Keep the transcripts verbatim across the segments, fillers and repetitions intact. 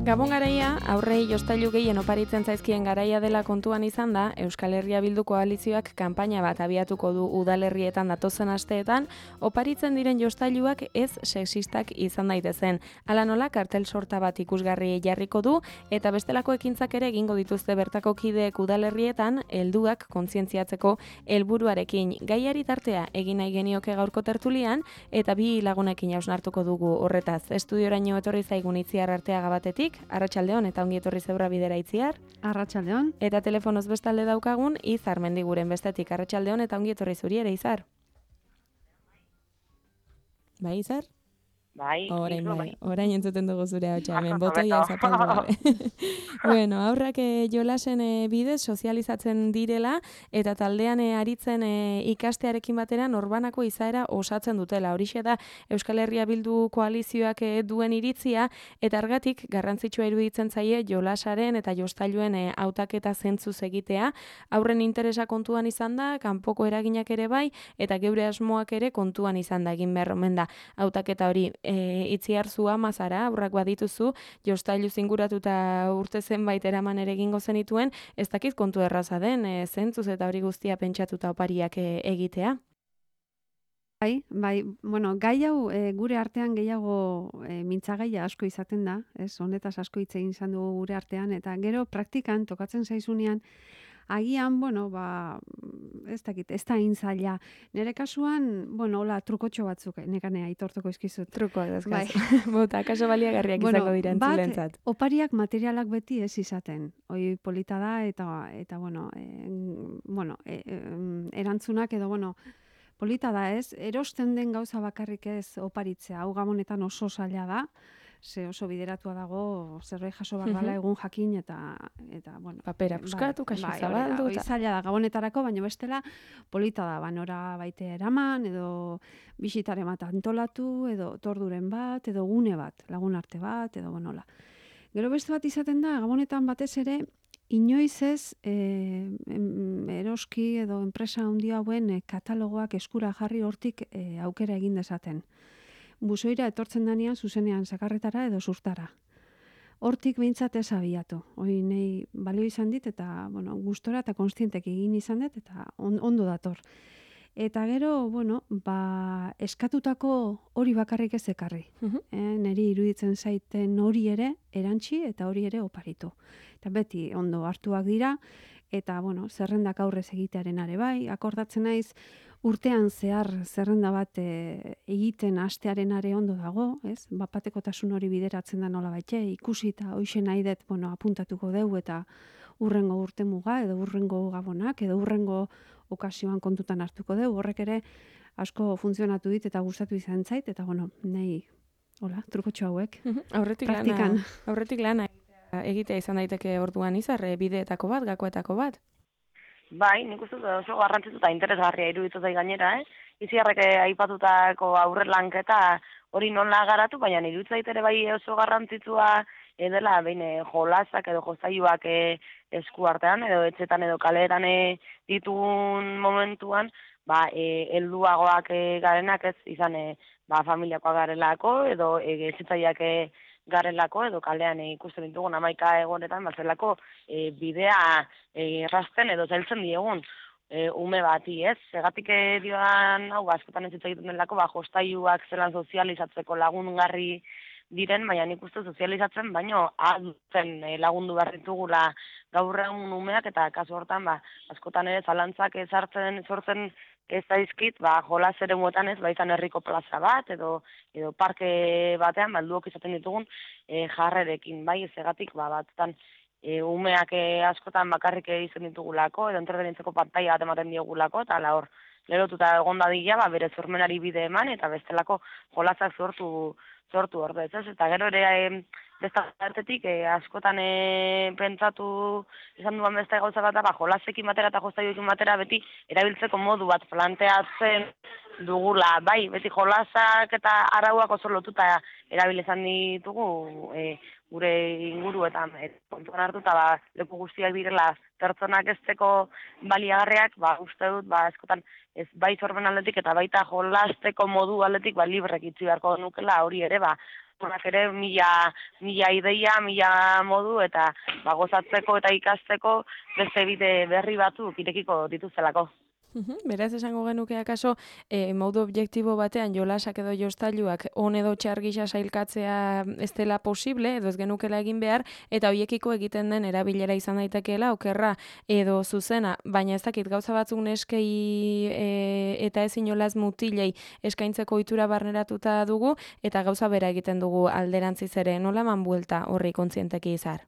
Gabon garaia, aurrei jostailu gehien oparitzen zaizkien garaia dela kontuan izan da, Euskal Herria Bildu koalizioak kanpaina bat abiatuko du udalerrietan datozen asteetan, oparitzen diren jostailuak ez sexistak izan daitezen. Hala nola, kartel sorta bat ikusgarri jarriko du, eta bestelako ekintzak ere egingo dituzte bertako kideek udalerrietan, helduak kontzientziatzeko helburuarekin. Gaiari tartea egin nahi genioke gaurko tertulian, eta bi lagunekin hausnartuko dugu horretaz. Estudioraino etorri zaigun Itziar Arteaga batetik, Arratsaldeon eta ongi etorri Zeura Bidera Itziar. Arratsaldeon. Eta telefonoz bestalde daukagun Izar Mendiguren bestetik. Arratsaldeon eta ongi etorri zuri ere, Izar. Bai, Izar? Bai, orain, bai, bai. Orain entzuten dugu zure hau hemen, botoia zapaldu gabe. Bueno, aurrak e, jolasen e, bidez sozializatzen direla eta taldean e, aritzen e, ikastearekin batera norbanako izaera osatzen dutela. Horixe da Euskal Herria Bildu koalizioak e, duen iritzia eta argatik garrantzitsua iruditzen zaie jolasaren eta jostailuen e, hautaketa zentzuz egitea. Aurren interesa kontuan izan da, kanpoko eraginak ere bai eta geure asmoak ere kontuan izan da egin behar omen da. Hautaketa hori E, Itziar zua mazara, aurrak badituzu, jostailu zinguratuta urte zenbait eraman ere egingo zenituen, ez dakit kontu erraza den, e, zentzuz eta hori guztia pentsatuta opariak e, egitea? Bai, bai, bueno, gai hau e, gure artean gehiago e, mintzagaia asko izaten da, ez, honetaz asko hitz egin izan dugu gure artean, eta gero praktikan tokatzen zaizunean, agian, bueno, ba, ez dakit, ez da intzaila. Nere kasuan, bueno, hola, trukotxo batzuk, nekanea, aitortuko izkizut. Truko, ez bai. Bota, kaso baliagarriak bueno, izango dira entzulentzat. Bat, opariak materialak beti ez izaten. Hoi polita da, eta, eta bueno, e, bueno e, e, erantzunak edo, bueno, polita da ez, erosten den gauza bakarrik ez oparitzea, hau gabonetan oso zaila da, ze oso bideratua dago zerbait jaso behar dela egun jakin eta eta bueno, papera puskatu, kasu bai, zabaldu hori zaila da gabonetarako, baina bestela polita da, ba nora baite eraman edo bisitare bat antolatu edo torduren bat edo gune bat, lagun arte bat edo bonola. Gero beste bat izaten da gabonetan batez ere inoiz ez e, eroski edo enpresa handi hauen e, katalogoak eskura jarri hortik e, aukera egin dezaten. Busoira etortzen danean zuzenean sakarretara edo surtara. Hortik behintzat ez abiatu. Hoi nei balio izan dit eta bueno, gustora eta konstientek egin izan dut eta on, ondo dator. Eta gero, bueno, ba, eskatutako hori bakarrik ez ekarri. Uh-huh. E, neri iruditzen zaiten hori ere erantzi eta hori ere oparitu. Eta beti ondo hartuak dira eta bueno, zerrendak aurrez egitearen are bai, akordatzen naiz urtean zehar zerrenda bat e, egiten hastearen are ondo dago, ez? Bapatekotasun hori bideratzen da nola baitxe, ikusi eta hoxe nahi dut, bueno, apuntatuko deu eta urrengo urte muga edo urrengo gabonak edo urrengo okasioan kontutan hartuko deu, horrek ere asko funtzionatu dit eta gustatu izan zait eta bueno, nahi hola, trukotxo hauek. Uh-huh. Aurretik praktikan. lana, aurretik lana egitea izan daiteke orduan Izar, bideetako bat, gakoetako bat. Bai, nik uste oso garrantzitsu eta interesgarria iruditu zait gainera, eh? Itziarrek aipatutako aurrelanketa hori nola garatu, baina iruditu zait ere bai oso garrantzitsua edela behin jolasak edo jostailuak esku artean edo etxetan edo kaleetan ditugun momentuan, ba e, helduagoak e, garenak ez izan e, ba familiakoak garelako edo e, etxetzaileak e, garelako edo kalean e, ikusten ditugun hamaika egonetan bazelako e, bidea e, errazten edo zailtzen diegun e, ume bati, ez? Segatik e, dioan hau askotan ez egiten delako ba jostailuak zelan sozializatzeko lagungarri diren, baina nik uste sozializatzen, baino adutzen e, lagundu behar ditugula gaur egun umeak eta kasu hortan ba askotan ere zalantzak ezartzen sortzen ez daizkit, ba, jolas ere muetan ez, ba, izan herriko plaza bat, edo, edo parke batean, balduok izaten ditugun e, jarrerekin, bai, ezegatik, ba, batzutan, e, umeak e, askotan bakarrik izan ditugulako, edo entretenitzeko pantaila bat ematen diogulako, eta la hor, lerotuta egon dadila, ba, bere zormenari bide eman, eta bestelako jolasak sortu, sortu hor ez, eta gero ere, e, besta hartetik, e, askotan e, pentsatu izan duan beste gauza bat, ba, jolasekin batera eta jostailuekin batera beti erabiltzeko modu bat planteatzen dugula, bai, beti jolasak eta arauak oso lotuta erabil izan ditugu e, gure inguruetan e, kontuan hartuta ba, leku guztiak direla pertsonak ezteko baliagarriak, ba, uste dut, ba, askotan ez bai zorben aldetik eta baita jolasteko modu aldetik ba, librek itzi beharko nukela hori ere, ba, Honak ere mila, mila ideia, mila modu eta ba, gozatzeko eta ikasteko beste bide berri batzuk irekiko dituztelako. Beraz, esango genuke akaso, e, modu objektibo batean jolasak edo jostailuak on edo txar gisa sailkatzea ez dela posible, edo ez genukela egin behar, eta hoiekiko egiten den erabilera izan daitekeela, okerra edo zuzena, baina ez dakit gauza batzuk neskei e, eta ez inolaz mutilei eskaintzeko ohitura barneratuta dugu, eta gauza bera egiten dugu alderantziz ere, nola eman buelta horri kontzienteki izar?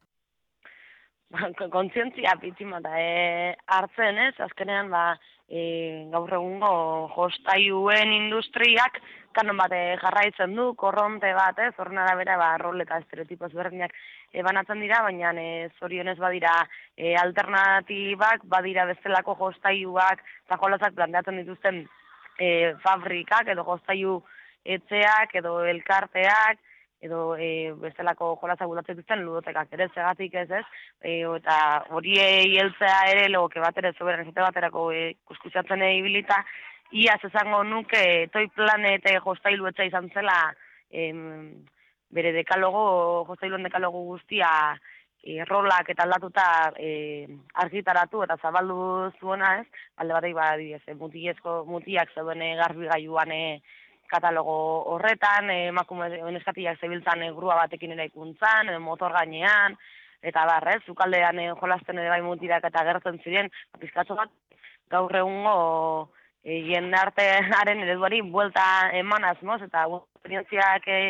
Kontzientzia pitzimata e, hartzen ez, azkenean ba, e, gaur egungo jostailuen industriak kanon bat jarraitzen du, korronte bat, ez, horren arabera ba, rol eta estereotipo ezberdinak e, banatzen dira, baina e, zorionez badira e, alternatibak, badira bestelako jostailuak eta jolasak planteatzen dituzten e, fabrikak edo jostailu etxeak edo elkarteak, edo e, bestelako jolazak bultatzen dituzten ludotekak ere zegatik ez ez, e, eta horiei heltzea ere logoke bat ere zoberen esate baterako e, kuskusatzen ibilita, iaz esango nuke Toy Planet jostailu etxea izan zela em, bere dekalogo, jostailuen dekalogo guztia e, rolak eta aldatuta e, argitaratu eta zabaldu zuena ez, alde batek ba, mutilezko mutiak zeuden garbigailuan e, katalogo horretan, emakume neskatiak zebiltzan grua batekin eraikuntzan, motor gainean, eta barrez, zukaldean jolasten ere bai mutirak eta gertzen ziren, pizkatxo bat gaur egungo e, jendartearen ereduari buelta eman asmoz, eta esperientziak e,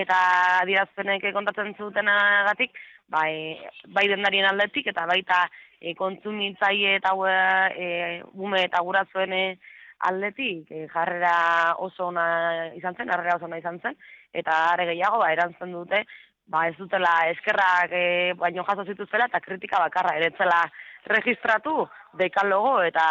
eta adierazpenek kontatzen zutenagatik, bai, bai dendarien aldetik, eta baita e, kontsumitzaile eta e, ume eta gurasoen e, aldetik e, jarrera oso ona izan zen, jarrera oso ona izan zen, eta are gehiago ba, erantzun dute, ba, ez dutela eskerrak e, baino jaso zituztela eta kritika bakarra eretzela registratu dekalogo eta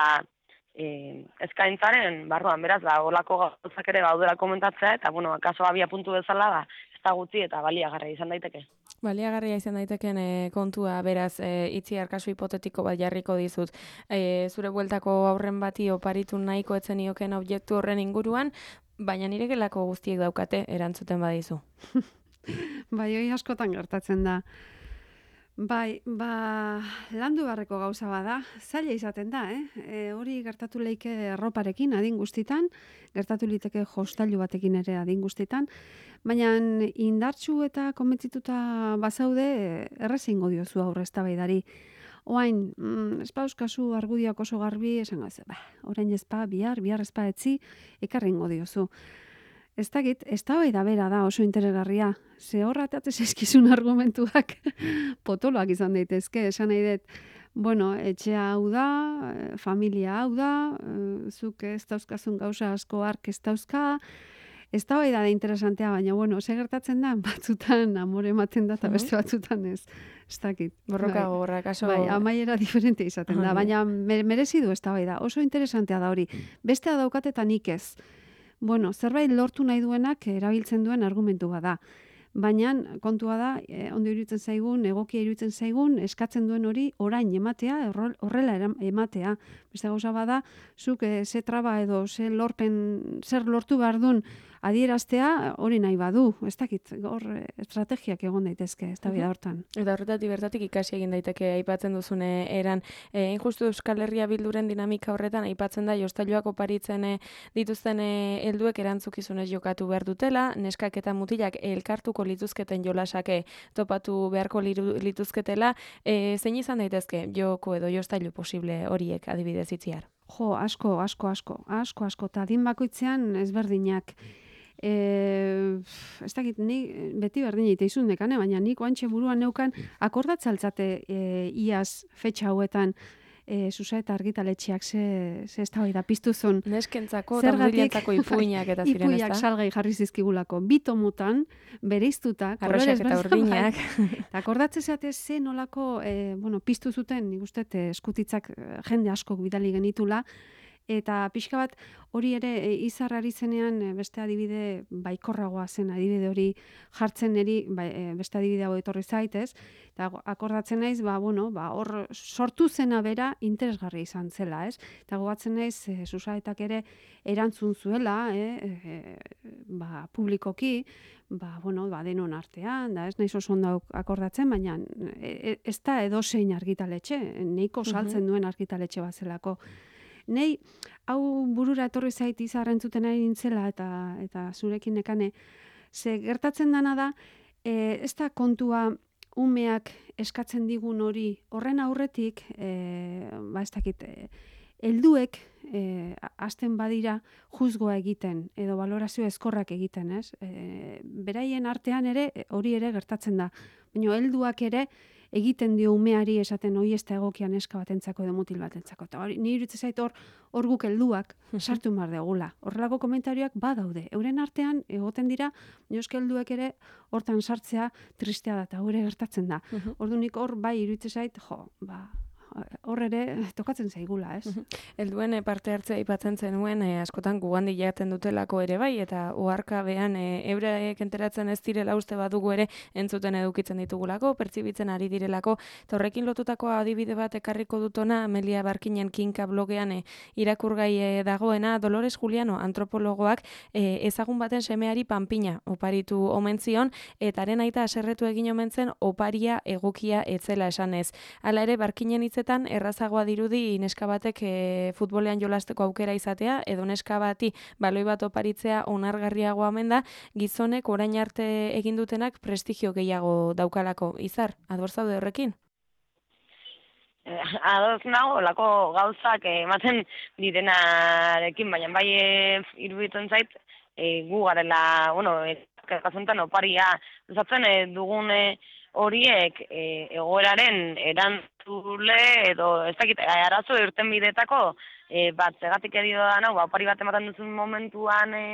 e, eskaintzaren barruan, beraz, ba, olako gauzak ere gaudela komentatzea, eta, bueno, kaso abia puntu bezala, ba, ez da gutxi eta baliagarria izan daiteke. Baliagarria izan daiteken e, kontua, beraz, e, itziar kasu hipotetiko bat jarriko dizut. E, zure bueltako aurren bati oparitu nahiko etzen ioken objektu horren inguruan, baina nire gelako guztiek daukate erantzuten badizu. Bai, hori askotan gertatzen da. Bai, ba, landu barreko gauza bada, zaila izaten da, eh? E, hori gertatu leike erroparekin adin guztitan, gertatu liteke jostailu batekin ere adin guztitan, baina indartsu eta konbentzituta bazaude errez egingo diozu aurre eztabaidari. Oain, mm, espauzkazu argudiak oso garbi, esango ez, ba, orain ezpa, bihar, bihar ezpa etzi, ekarri egingo diozu. Ez dakit, eztabaida bera da oso interesgarria. Ze horratate zeskizun argumentuak potoloak izan daitezke, esan nahi dut, bueno, etxea hau da, familia hau da, zuk ez dauzkazun gauza asko ark ez dauzka, eztabaida da interesantea, baina, bueno, ze gertatzen da, batzutan amore ematen da, eta beste batzutan ez. Ez dakit. Borroka gogorra, kaso... Bai, amaiera diferente izaten da, baina merezi du eztabaida, oso interesantea da hori. Bestea daukate eta nik ez. Bueno, zerbait lortu nahi duenak erabiltzen duen argumentu bada. Baina kontua da, eh, ondo iruditzen zaigun, egokia iruditzen zaigun, eskatzen duen hori orain ematea, horrela ematea. Beste gauza bada, zuk eh, ze traba edo ze lorpen, zer lortu behar duen adieraztea hori nahi badu. Ez dakit, hor estrategiak egon daitezke, ez da bida hortan. Eta horretatik bertatik ikasi egin daiteke aipatzen duzune eran. E, Injustu Euskal Herria Bilduren dinamika horretan aipatzen da jostailuak oparitzen dituzten helduek erantzukizunez jokatu behar dutela, neskak eta mutilak elkartuko lituzketen jolasake topatu beharko lituzketela, e, zein izan daitezke joko edo jostailu posible horiek adibidez itziar? Jo, asko, asko, asko, asko, asko, eta adin bakoitzean ezberdinak. E, ez dakit, ni beti berdin egiteizun dekane, baina nik oantxe buruan neukan akordatzaltzate e, iaz fetxa hauetan e, Susa eta Argitaletxeak ze, ze ez da piztu zon. Neskentzako eta mutilentzako ipuinak eta ziren, ez da? Ipuiak salgai jarri zizkigulako. Bitomutan, bereiztuta, arroxak eta urdinak. Eta akordatze zeate ze nolako, e, bueno, piztu zuten, nik uste, eskutitzak jende askok bidali genitula, Eta pixka bat hori ere e, Izar ari zenean e, beste adibide baikorragoa zen adibide hori jartzen eri ba, e, beste adibide hau etorri zaitez. Eta akordatzen naiz, ba, bueno, ba, hor sortu zena bera interesgarria izan zela, ez? Eta gogatzen naiz, e, Susaetak ere erantzun zuela, e, e, ba, publikoki, ba, bueno, ba, denon artean, da, ez naiz oso ondo akordatzen, baina e, ez da edozein argitaletxe, neiko saltzen duen argitaletxe bat zelako. Nei, hau burura etorri zait Izar entzuten ari nintzela eta eta zurekin nekane, ze gertatzen dana da, e, ez da kontua umeak eskatzen digun hori horren aurretik, e, ba ez dakit, e, helduek e, hasten badira juzgoa egiten edo balorazio ezkorrak egiten, ez? E, beraien artean ere hori ere gertatzen da. Baina helduak ere egiten dio umeari esaten hori ez da egokian neska batentzako edo mutil batentzako. Eta hori, ni iruditzen zait hor, hor guk helduak sartu behar degula. Horrelako komentarioak badaude. Euren artean egoten dira, noski helduek ere hortan sartzea tristea da eta hori gertatzen da. Ordunik hor bai iruditzen zait, jo, ba, hor ere tokatzen zaigula, ez? Helduen parte hartzea aipatzen zenuen e, askotan gugandi jaten dutelako ere bai, eta oharkabean e, eurek enteratzen ez direla uste badugu ere entzuten edukitzen ditugulako, pertsibitzen ari direlako, eta horrekin lotutako adibide bat ekarriko dutona Amelia Barkinen Kinka blogean e, irakurgai e, dagoena, Dolores Juliano antropologoak e, ezagun baten semeari panpina oparitu omen zion, eta haren aita haserretu egin omen zen oparia egokia etzela esanez. Hala ere Barkinen hitz errazagoa dirudi neska batek e, futbolean jolasteko aukera izatea, edo neska bati baloi bat oparitzea onargarriagoa omen da, gizonek orain arte egin dutenak prestigio gehiago daukalako. Izar, ados zaude horrekin? Eh, ados nago, olako gauzak ematen direnarekin, baina bai e, iruditzen zait, e, gu garela, bueno, e, kasunetan oparia usatzen e, dugun e, horiek e, egoeraren erantzule edo ez dakit arazo irten bidetako e, bat zegatik edio da nau, ba, opari bat ematen duzun momentuan e,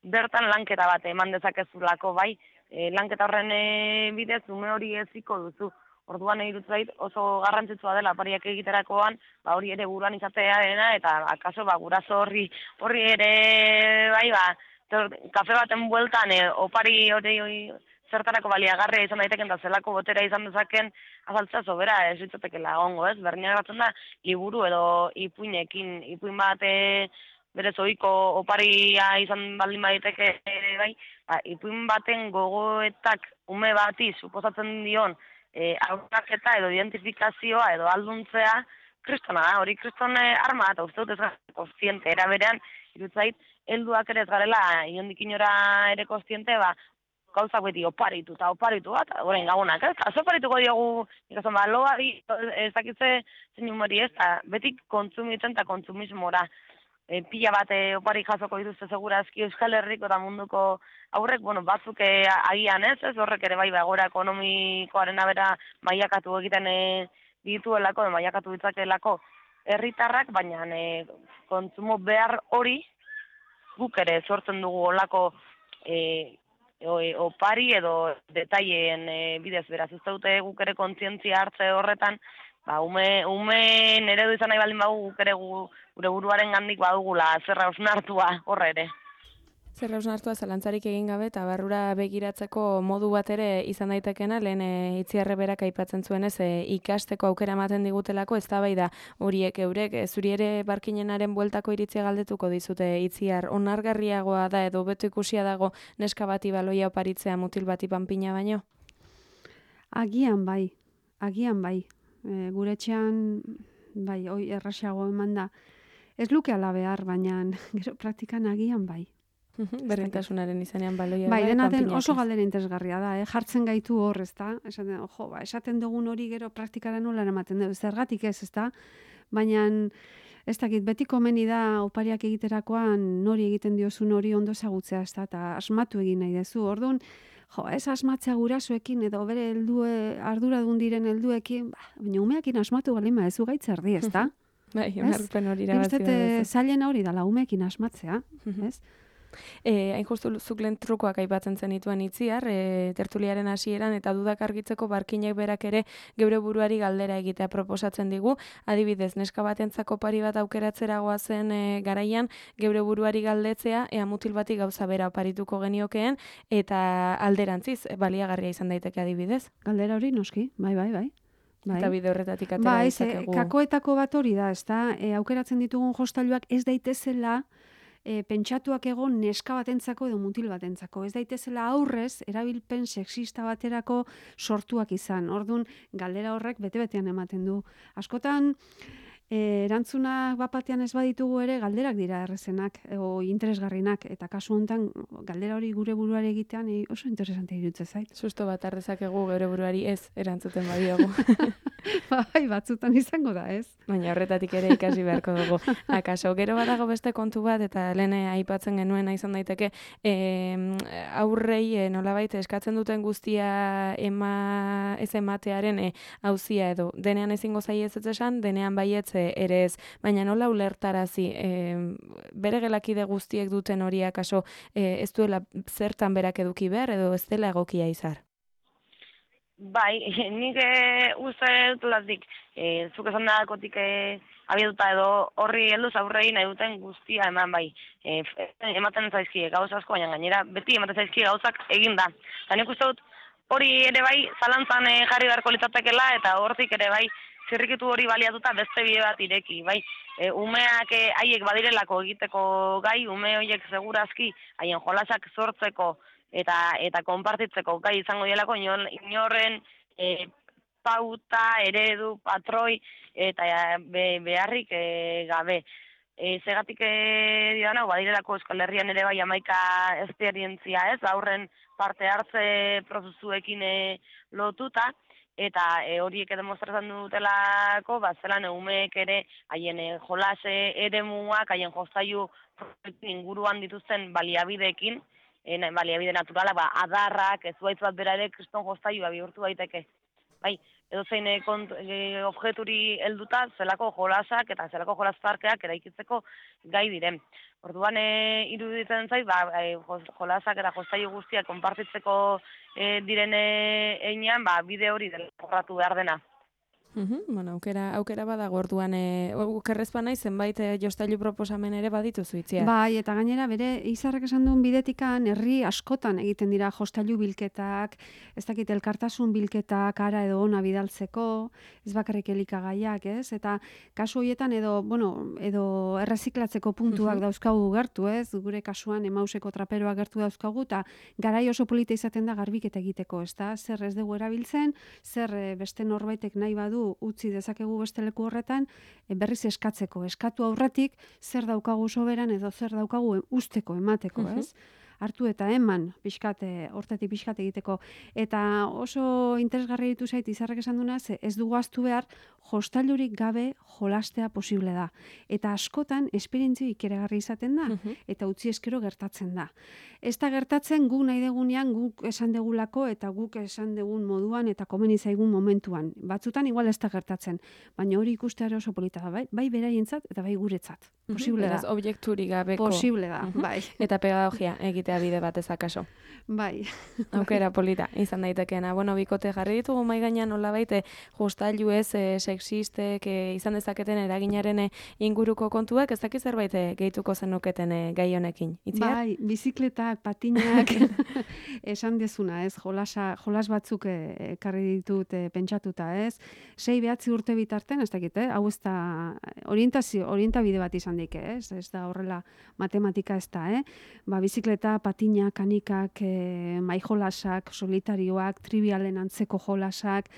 bertan lanketa bat eman dezakezulako bai, e, lanketa horren e, bidez ume hori eziko duzu. Orduan iruditzen zait oso garrantzitsua dela opariak egiterakoan, ba hori ere buruan izatea dena eta akaso ba guraso horri horri ere bai ba kafe baten bueltan e, opari hori zertarako baliagarria izan daiteken da zelako botera izan dezaken azaltzea sobera ez ditzatekela egongo, ez? Berdinak batzen da liburu edo ipuinekin, ipuin bat e, berez ohiko oparia izan baldin baditeke ere bai, ba, ipuin baten gogoetak ume bati suposatzen dion e, auraketa edo identifikazioa edo alduntzea kristona da, hori kristone arma eta uste dut ez gara kontziente, era berean irutzait, helduak ere ez garela inondik inora ere kontziente, ba, gauzak beti oparitu eta oparitu bat, orain gagunak, ez? Azo oparituko diogu, ikazan, ba, loari, ez dakitze zein humori ez, eta beti kontsumitzen eta kontsumismora. E, pila bat e, opari jasoko dituzte segurazki Euskal Herriko eta munduko aurrek, bueno, batzuk e, agian ez, ez horrek ere bai, egoera ekonomikoaren abera mailakatu egiten e, dituelako, mailakatu ditzakelako herritarrak, baina e, kontsumo behar hori guk ere sortzen dugu olako e, O, e, opari edo detaileen e, bidez beraz ez dute guk ere kontzientzia hartze horretan, ba, ume, ume nere du izan nahi baldin bagu guk ere gu, gure buruaren gandik badugula zerra osnartua horre ere. Zerra osnartua zalantzarik egin gabe eta barrura begiratzeko modu bat ere izan daitekena, lehen e, Itziarre berak aipatzen zuenez e, ikasteko aukera ematen digutelako, eztabaida horiek eurek, e, zuri ere Barkinenaren bueltako iritzia galdetuko dizute Itziar, onargarriagoa da edo beto ikusia dago neska bati baloia oparitzea mutil bati panpina baino? Agian bai, agian bai, e, gure etxean bai, oi errasago eman da, ez luke ala behar, baina gero praktikan agian bai. Berdintasunaren izanean baloia bai, dena den oso galdera interesgarria da, eh? Jartzen gaitu hor, ezta? Esaten, jo, ba, esaten dugun hori gero praktikara nola ematen dugu, zergatik ez, ezta? Baina ez dakit, beti komeni da opariak egiterakoan nori egiten diozun hori ondo ezagutzea, ezta? Eta asmatu egin nahi dezu. Orduan, jo, ez asmatzea gurasoekin edo bere heldue arduradun diren helduekin, ba, baina umeekin asmatu baldin badezu gaitz erdi, ezta? Bai, onarpen hori irabazi da. Zailen hori dala umeekin asmatzea, ez? E, hain justu zuk lehen trukoak aipatzen zenituen itziar, e, tertuliaren hasieran eta dudak argitzeko barkinek berak ere geure buruari galdera egitea proposatzen digu. Adibidez, neska batentzako pari bat aukeratzera goazen e, garaian, geure buruari galdetzea, ea mutil bati gauza bera oparituko geniokeen, eta alderantziz, baliagarria izan daiteke adibidez. Galdera hori noski, bai, bai, bai. Bai. Eta bide horretatik atera bai, ditzakegu. Kakoetako bat hori da, ezta? E, aukeratzen ditugun jostailuak ez daitezela e, pentsatuak egon neska batentzako edo mutil batentzako. Ez daitezela aurrez erabilpen sexista baterako sortuak izan. Ordun galdera horrek bete-betean ematen du. Askotan E, erantzunak bapatean ez baditugu ere galderak dira errezenak o interesgarrinak, eta kasu honetan galdera hori gure buruari egitean e, oso interesante iruditzen zait. Susto bat arrezakegu geure buruari ez erantzuten badiogu. Bai, batzutan izango da, ez? Baina horretatik ere ikasi beharko dugu. Akaso, gero badago beste kontu bat, eta lehen aipatzen genuena izan daiteke, e, aurrei e, nolabait eskatzen duten guztia ema, ez ematearen e, auzia edo. Denean ezingo zaiez ez esan, denean baietz ere ez, baina nola ulertarazi e, bere gelakide guztiek duten hori akaso e, ez duela zertan berak eduki behar edo ez dela egokia izar? Bai, nik e, uste dut lazik, e, zuk esan dakotik e, abiatuta edo horri helduz aurrei nahi duten guztia eman bai. E, ematen zaizkie gauz asko, baina gainera beti ematen zaizkie gauzak egin da. Eta nik uste dut hori ere bai zalantzan e, jarri beharko litzatekela eta hortik ere bai zirrikitu hori baliatuta beste bide bat ireki, bai. E, umeak e, haiek badirelako egiteko gai, ume horiek segurazki haien jolasak sortzeko eta eta konpartitzeko gai izango dielako inorren e, pauta, eredu, patroi eta be, beharrik e, gabe. E, zegatik e, diana, badirelako Euskal Herrian ere bai hamaika esperientzia ez, aurren parte hartze prozesuekin e, lotuta, eta e, horiek demostratzen dutelako, ba, zelan umeek ere haien e, jolase eremuak, haien jostailu inguruan dituzten baliabideekin, e, baliabide naturala, ba, adarrak, ez zuaitz bat bera ere kriston jostailua bihurtu daiteke. Bai, edo zein e, kont, e, objeturi helduta zelako jolasak eta zelako jolasparkeak eraikitzeko gai diren. Orduan e, iruditzen zait, ba, e, jolasak eta jostailu guztiak konpartitzeko e, direne einean, ba, bide hori dela jorratu behar dena. Uhum, bueno, aukera, aukera badago orduan, e, okerrezpa nahi zenbait e, jostailu proposamen ere badituzu itziar. Bai, eta gainera bere izarrek esan duen bidetikan herri askotan egiten dira jostailu bilketak, ez dakit elkartasun bilketak ara edo ona bidaltzeko, ez bakarrik elikagaiak, ez? Eta kasu horietan edo, bueno, edo erreziklatzeko puntuak Uhum. dauzkagu gertu, ez? Gure kasuan emauseko traperoak gertu dauzkagu, eta garai oso polita izaten da garbiketa egiteko, ezta? Zer ez dugu erabiltzen, zer e, beste norbaitek nahi badu utzi dezakegu beste leku horretan, e, berriz eskatzeko. Eskatu aurretik zer daukagu soberan edo zer daukagu usteko, emateko, ez? Hartu eta eman pixkate, hortetik pixkate egiteko. Eta oso interesgarri ditu zait izarrek esan duna, ze ez dugu ahaztu behar, jostailurik gabe jolastea posible da. Eta askotan esperientzio ikeragarri izaten da, Uhum. eta utzi eskero gertatzen da. Ez da gertatzen guk nahi degunean, guk esan degulako, eta guk esan degun moduan, eta komeni zaigun momentuan. Batzutan igual ez da gertatzen, baina hori ikustea oso polita da, bai, bai beraientzat eta bai guretzat. Posible Beraz, da. objekturik gabeko. Posible da, Uhum. bai. Eta pedagogia egitea bide batez akaso. Bai. Aukera polita izan daitekeena. Bueno, bikote jarri ditugu mai gainean nolabait e, jostailu ez e, sexistek e, izan dezaketen eraginaren e, inguruko kontuak, ez dakiz zerbait e, gehituko zenuketen e, gai honekin. Itziar? Bai, bizikletak, patinak, esan dezuna, ez, jolasa, jolas batzuk e, ekarri ditut e, pentsatuta, ez, sei behatzi urte bitarten, ez dakit, eh? Hau ez da orientazio, orientabide bat izan daike, ez, ez da horrela matematika ez da, eh? Ba, bizikleta, patinak, kanikak, e, mai jolasak, solitarioak, trivialen antzeko jolasak,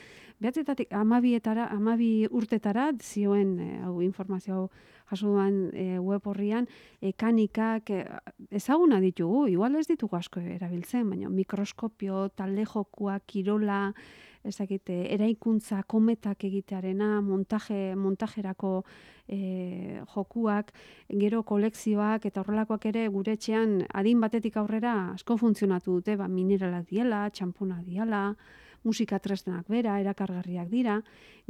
behatzetatik amabietara, amabi urtetara, zioen, e, hau informazio hau jaso duan e, web horrian, e, kanikak, e, ezaguna ditugu, igual ez ditugu asko erabiltzen, baina mikroskopio, talde jokua, kirola, ez dakit, eraikuntza, kometak egitearena, montaje, montajerako e, jokuak, gero kolekzioak, eta horrelakoak ere gure etxean adin batetik aurrera asko funtzionatu dute, ba, mineralak diela, txampuna diela, musika tresnak bera, erakargarriak dira,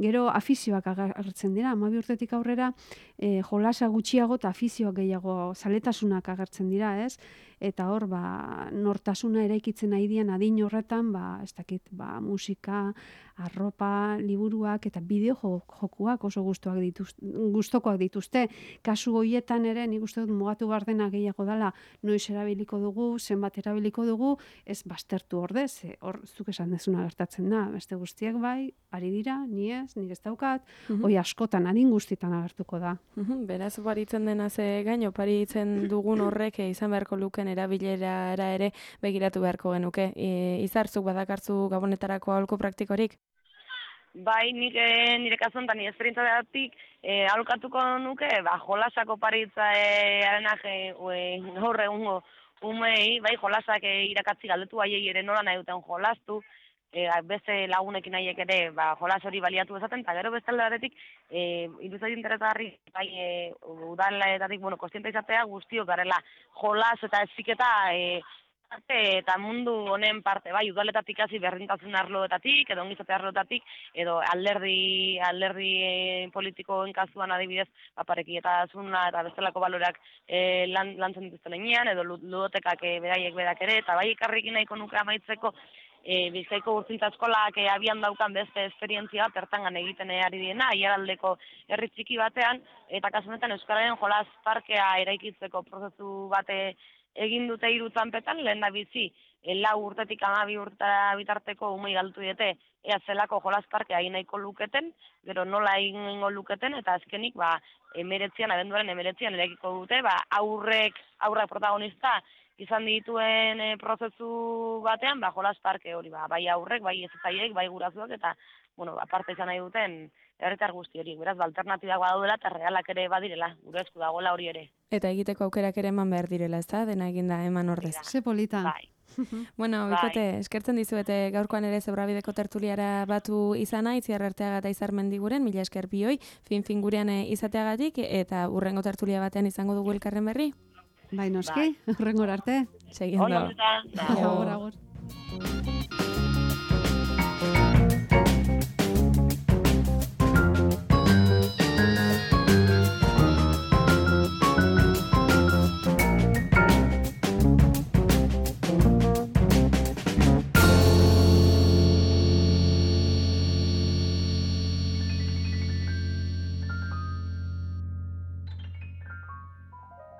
gero afizioak agertzen dira, hamabi urtetik aurrera e, jolasa gutxiago eta afizioak gehiago zaletasunak agertzen dira, ez? eta hor, ba, nortasuna eraikitzen nahi dian adin horretan, ba, ez dakit, ba, musika, arropa, liburuak eta bideo jokuak oso gustoak dituzte, gustokoak dituzte. Kasu hoietan ere, nik uste dut mugatu behar dena gehiago dela, noiz erabiliko dugu, zenbat erabiliko dugu, ez baztertu ordez, hor zuk esan dezuna gertatzen da, beste guztiak bai, ari dira, ni ez, nik ez daukat, Mhm. hoi askotan, adin guztietan agertuko da. Mhm, Beraz, oparitzen dena ze gain, oparitzen dugun horrek eh, izan beharko luken erabilera ere begiratu beharko genuke. E, Izarzuk badakartzu gabonetarako aholku praktikorik? Bai, nik eh, nire kasuan eta nire esperientzatik eh, aholkatuko nuke, ba, jolasak oparitza eh, arenak eh, gaur egungo umei, bai, jolasak eh, irakatzi galdetu haiei ere nola nahi duten jolastu, eh, beste lagunekin nahiek ere ba, jolas hori baliatu ezaten, eta gero beste aldetik, eh, iruzait interesgarri, bai, eh, udaletatik, bueno, kostiente izatea guztiok garela jolas eta eziketa eh, parte eta mundu honen parte, bai, udaletatik hasi berdintasun arloetatik, edo ongizate arloetatik, edo alderdi alderdi e, politikoen kasuan adibidez, parekidetasuna eta bestelako baloreak e, lan, lantzen dituzten heinean, edo ludotekak e, beraiek berak ere, eta bai ikarrikin nahiko nuke amaitzeko, e, Bizkaiko Urtzintza Eskolak e, abian daukan beste esperientzia bat, ertangan egiten ari diena, aiaraldeko herri txiki batean, eta kasu honetan Euskararen jolas parkea eraikitzeko prozesu bate egin dute hiru txanpetan, lehen da bizi, e, lau urtetik hamabi urtera bitarteko umei galtu diete, ea zelako jolas parkea egin nahiko luketen, gero nola egingo luketen, eta azkenik, ba, emeretzian, abenduaren emeretzian eraikiko dute, ba, aurrek, aurrak protagonista, izan dituen e, prozesu batean, ba, jolas parke hori, ba, bai aurrek, bai ezetzaiek, bai gurasoak, eta, bueno, aparte izan nahi duten, herritar guzti hori, beraz, ba, alternatibak badaudela, eta realak ere badirela, gure esku dagoela hori ere. Eta egiteko aukerak ere eman behar direla, ez da? Dena eginda eman ordez. Ze polita. Bai. Bueno, Bai. bikote, eskertzen dizuete gaurkoan ere Zebrabideko tertuliara batu izana, Itziar Arteaga eta Izar Mendiguren, mila esker bioi, fin-fin gurean izateagatik, eta urrengo tertulia batean izango dugu elkarren berri. Bai, noski, horrengor arte. Segindo. Hola, Aio. Agur, agur.